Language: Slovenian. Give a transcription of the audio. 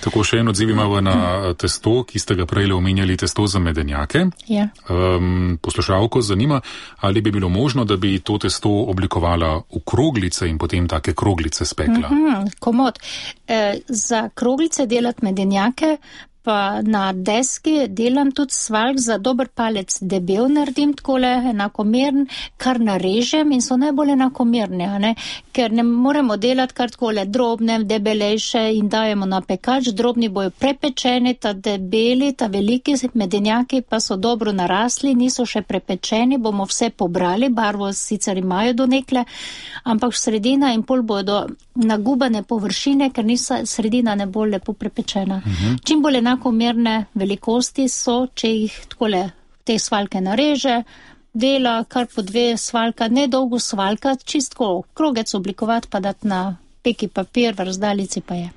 Tako, še en odziv imamo na testo, ki ste ga prej omenjali, testo za medenjake. Ja. Poslušalko zanima, ali bi bilo možno, da bi to testo oblikovala v kroglice in potem take kroglice spekla. Komod. Za kroglice delati medenjake, pa na deski delam tudi svaljk za dober palec debel naredim, takole enakomern, kar narežem in so najbolj enakomerni, ne? Ker ne moremo delati kar takole drobne, debelejše in dajemo na pekač, drobni bojo prepečeni, ta debeli, ta veliki medenjaki pa so dobro narasli, niso še prepečeni, bomo vse pobrali, barvo sicer imajo do nekle, ampak sredina in pol bodo nagubane površine, ker sredina ne bo lepo prepečena. Čim bolj enakomerne velikosti so, če jih takole te svaljke nareže, dela kar po 2 svaljka, ne dolgo svaljka, čistko krogec oblikovati pa dati na peki papir, v razdaljici pa je.